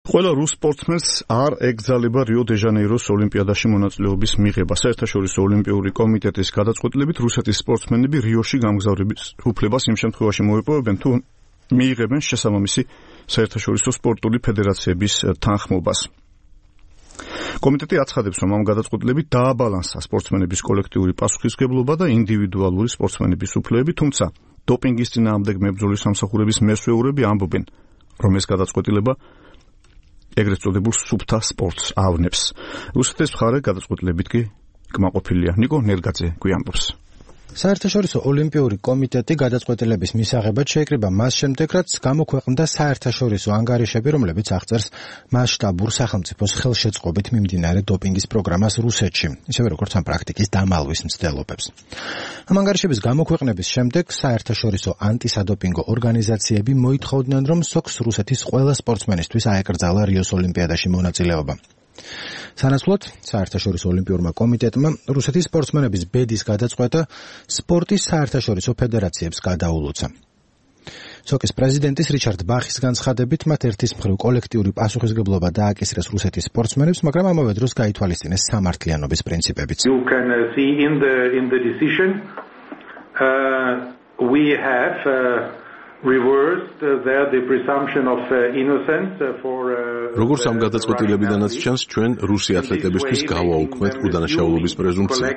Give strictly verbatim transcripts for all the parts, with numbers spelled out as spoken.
ყველა რუს სპორტსმენს არ ეკრძალება რიო-დე-ჟანეიროს ოლიმპიადაში მონაწილეობის მიღება. საერთაშორისო ოლიმპიური კომიტეტის გადაწყვეტილებით რუსეთის სპორტსმენები რიოში გამგზავრების უფლებას იმ შემთხვევაში მოიპოვებენ, თუ მიიღებენ შესაბამისი საერთაშორისო სპორტული ფედერაციების თანხმობას. კომიტეტი აცხადებს, რომ ამ გადაწყვეტილებით დააბალანსა სპორტსმენების კოლექტიური პასუხისმგებლობა და ინდივიდუალური სპორტსმენების უფლებები, თუმცა დოპინგის წინააღმდეგ მებრძოლის სამსახურების მესვეურები ამბობენ, რომ ეს გადაწყვეტილება ეგრეთ წოდებულ სუფთა სპორტს ავნებს. რუსეთის მხარე გადაწყვეტილებით კი კმაყოფილია. ნიკო ნერგაძე გვიამბობს. საერთაშორისო ოლიმპიური კომიტეტი გადაწყვეტილების მისაღებად შეიკრიბა მას შემდეგ, რაც გამოქვეყნდა საერთაშორისო ანგარიშები, რომლებიც აღწერს მასშტაბურ სახელმწიფოს ხელშეწყობით მიმდინარე დოპინგის პროგრამას რუსეთში, ისევე როგორც ამ პრაქტიკის დამალვის მცდელობებს. ამ ანგარიშების გამოქვეყნების შემდეგ საერთაშორისო ანტისადოპინგო ორგანიზაციები მოითხოვდნენ, რომ სოქს რუსეთის ყველა სპორტსმენისთვის აეკრძალა რიოს ოლიმპიადაში მონაწილეობა. სანაცვლოდ საერთაშორისო ოლიმპიურმა კომიტეტმა რუსეთის სპორტსმენების ბედის გადაწყვეტა სპორტის საერთაშორისო ფედერაციებს გადაულოცა. სოკის პრეზიდენტის რიჩარდ ბახის განცხადებით, მათ ერთის მხრივ კოლექტიური პასუხისმგებლობა დააკისრეს რუსეთის სპორტსმენებს, მაგრამ ამავე დროს გაითვალისწინეს სამართლიანობის პრინციპებიც. You can uh, see in the in the decision uh, we have uh, reversed uh, there the presumption of uh, innocence uh, for uh, როგორც ამ გადაწყვეტილებიდანაც ჩანს, ჩვენ რუსი ათლეტებისთვის გავაუქმეთ უდანაშაულობის პრეზუმპცია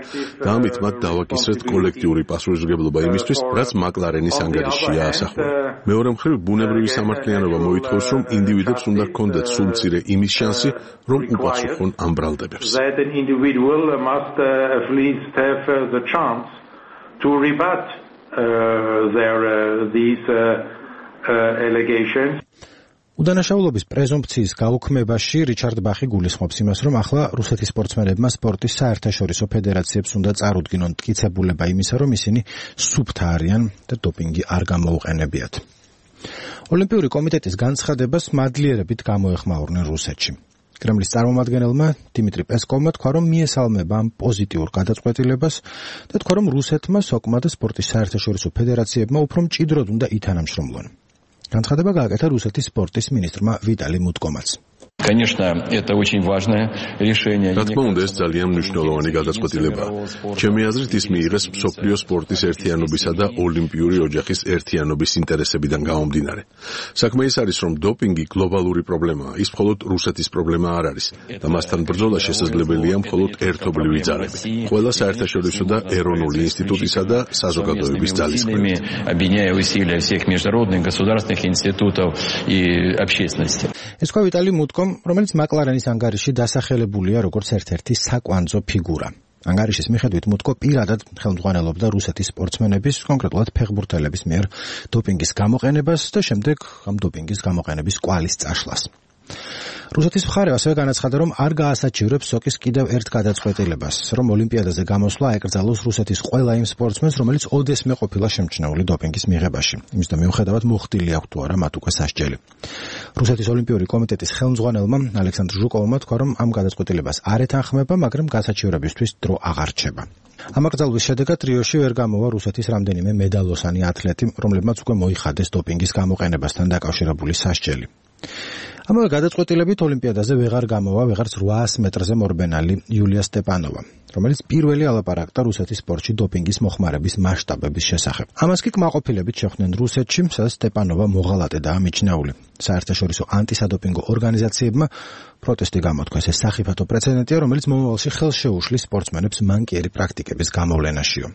და ამით მათ დავაკისრეთ კოლექტიური პასუხისმგებლობა იმისთვის, რაც მაკლარენის ანგარიშია ასახული. მეორე მხრივ, ბუნებრივი სამართლიანობა მოითხოვს, რომ ინდივიდებს უნდა ჰქონდეთ სულ მცირე იმის შანსი, რომ უპასუხონ ამ ბრალდებებს. That an individual must uh, at least have uh, the chance to rebut uh, their uh, these uh, uh, allegations. უდანაშაულობის პრეზუმპციის გაუქმებაში რიჩარდ ბახი გულისხმობს იმას, რომ ახლა რუსეთის სპორტსმენებმა სპორტის საერთაშორისო ფედერაციებს უნდა წარუდგინონ მტკიცებულება იმისა, რომ ისინი სუფთა არიან და დოპინგი არ გამოუყენებიათ. ოლიმპიური კომიტეტის განცხადებას მადლიერებით გამოეხმაურნენ რუსეთში. კრემლის წარმომადგენელმა დიმიტრი პესკოვმა თქვა, რომ მიესალმება ამ პოზიტიურ გადაწყვეტილებას და თქვა, რომ რუსეთმა სოკმა და სპორტის საერთაშორისო ფედერაციებმა უფრო მჭიდროდ უნდა ითანამშრომლონ. განცხადება გააკეთა რუსეთის სპორტის მინისტრმა ვიტალი მუტკომაც. Конечно, это очень важное решение. რა თქმა უნდა, ეს ძალიან მნიშვნელოვანი გადაწყვეტილებაა. ჩემი აზრით, ის მიიღეს მსოფლიო სპორტის ერთიანობისა და ოლიმპიური ოჯახის ერთიანობის ინტერესებიდან გამომდინარე. საქმე ის არის, რომ დოპინგი გლობალური პრობლემაა. ის მხოლოდ რუსეთის პრობლემა არ არის და მასთან ბრძოლა შესაძლებელია მხოლოდ ერთობლივი ძალები. ყველა საერთაშორისო და ეროვნული ინსტიტუტისა და საზოგადოების ძალისხმევით. Объединяя усилия всех международных государственных институтов и общественности. ეს თქვა ვიტალი მუტკომ, რომელიც მაკლარენის ანგარიში დასახელებულია როგორც ერთ-ერთი საკვანძო ფიგურა. ანგარიშის მიხედვით მუტკო პირადად ხელმძღვანელობდა რუსეთის სპორტსმენების, კონკრეტულად ფეხბურთელების მიერ დოპინგის გამოყენებას და შემდეგ ამ დოპინგის გამოყენების კვალის წაშლას. რუსეთის მხარე ასევე განაცხადა, რომ არ გაასაჩივრებს სოკის კიდევ ერთ გადაწყვეტილებას, რომ ოლიმპიადაზე გამოსვლა აეკრძალოს რუსეთის ყველა იმ სპორტსმენს, რომელიც ოდესმე ყოფილა შემჩნეული დოპინგის მიღებაში. იმის და მიუხედავად მოხდილი აქვს თუ არა მათ უკვე სასჯელი. რუსეთის ოლიმპიური კომიტეტის ხელმძღვანელმა ალექსანდრ ჟუკოვმა თქვა, რომ ამ გადაწყვეტილებას არ ეთანხმება, მაგრამ გასაჩივრებისთვის დრო აღარ რჩება. ამ აკრძალვის შედეგად რიოში ვერ გამოვა რუსეთის რამდენიმე მედალოსანი ათლეტი, რომლებმაც უკვე მოიხადეს დოპინგის გამოყენებასთან დაკავშირებული სასჯელი. ამავე გადაწყვეტილებით ოლიმპიადაზე ვეღარ გამოვა ვეღარც რვაას მეტრზე მორბენალი იულია სტეპანოვა, რომელიც პირველი ალაპარაკდა რუსეთის სპორტში დოპინგის მოხმარების მასშტაბების შესახებ. ამას კი კმაყოფილებით შეხვდნენ რუსეთში, სადაც სტეპანოვა მოღალატედაა მიჩნეული. საერთაშორისო ანტისადოპინგო ორგანიზაციებმა პროტესტი გამოთქვეს. ეს სახიფათო პრეცედენტია, რომელიც მომავალში ხელს შეუშლის სპორტსმენებს მანკიერი პრაქტიკების გამოვლენაშიო.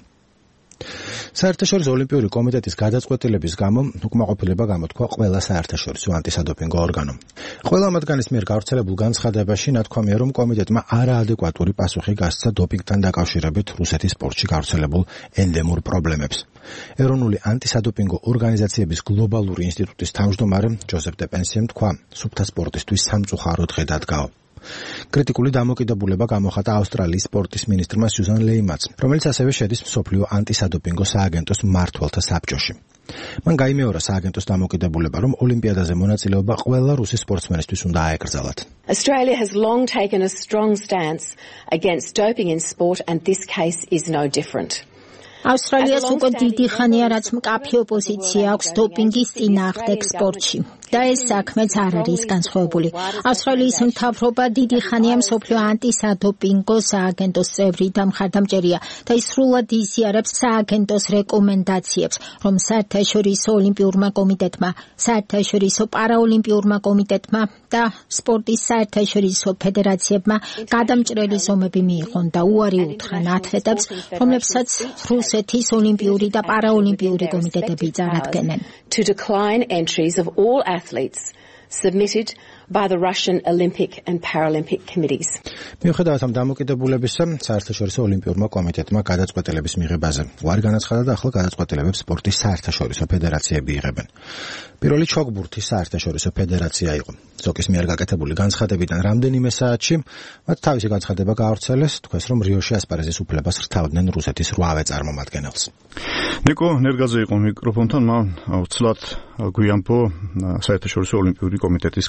საერთაშორისო ოლიმპიური კომიტეტის გადაწყვეტილების გამო უკმაყოფილება გამოთქვა ყველა საერთაშორისო ანტისადოპინგო ორგანომ. ყველა მათგანის მიერ გავრცელებულ განცხადებაში ნათქვამია, რომ კომიტეტმა არაადეკვატური პასუხი გასცა დოპინგთან დაკავშირებით რუსეთის სპორტში გავრცელებულ ენდემურ პრობლემებს. ეროვნული ანტისადოპინგო ორგანიზაციების გლობალური ინსტიტუტის თავმჯდომარე ჯოზეფ დეპენსიემ თქვა, სუფთა სპორტისთვის სამწუხარო დღე დადგაო. კრიტიკული დამოკიდებულება გამოხატა ავსტრალიის სპორტის მინისტრმა სიუზან ლეიმაც, რომელიც ასევე შედის მსოფლიო ანტისადოპინგო სააგენტოს მმართველთა საბჭოში. მან გაიმეორა სააგენტოს დამოკიდებულება, რომ ოლიმპიადაზე მონაწილეობა ყველა რუსი სპორტსმენისთვის უნდა აეკრძალათ. Australia has long taken a strong stance against doping in sport, and this case is no different. ავსტრალიას უკვე დიდი ხანია, რაც მკაფიო პოზიცია აქვს დოპინგის წინააღმდეგ სპორტში. და ეს საქმეც არ არის განსხვავებული. ავსტრალიის მთავრობა დიდი ხანია მსოფლიო ანტისადოპინგო სააგენტოს წევრი და მხარდამჭერია და ის სრულად იზიარებს სააგენტოს რეკომენდაციებს, რომ საერთაშორისო ოლიმპიურმა კომიტეტმა, საერთაშორისო პარაოლიმპიურმა კომიტეტმა და სპორტის საერთაშორისო ფედერაციებმა გადამჭრელი ზომები მიიღონ და უარი უთხრან ათლეტებს, რომლებსაც რუსეთის ოლიმპიური და პარაოლიმპიური კომიტეტები წარადგენენ. To decline entries of all athletes submitted by the Russian Olympic and Paralympic committees. მიუხედავად ამ დამოკიდებულებისა, საერთაშორისო ოლიმპიურმა კომიტეტმა გადაწყვეტილების მიღებაზე უარი განაცხადა და ახლა გადაწყვეტილებებს სპორტის საერთაშორისო ფედერაციები იღებენ. პირველი ჩოგბურთის საერთაშორისო ფედერაცია იყო. ზოკის მიერ გაკეთებული განცხადებიდან რამდენიმე საათში მათ თავისი განცხადება გაავრცელეს, თქვეს რომ რიოში ასპარეზის უფლებას რთავდნენ რუსეთის რვავე წარმომადგენელს. ნიკო ნერგაძე იყო მიკროფონთან, მან უცლად გვიამბო საერთაშორისო ოლიმპიური კომიტეტის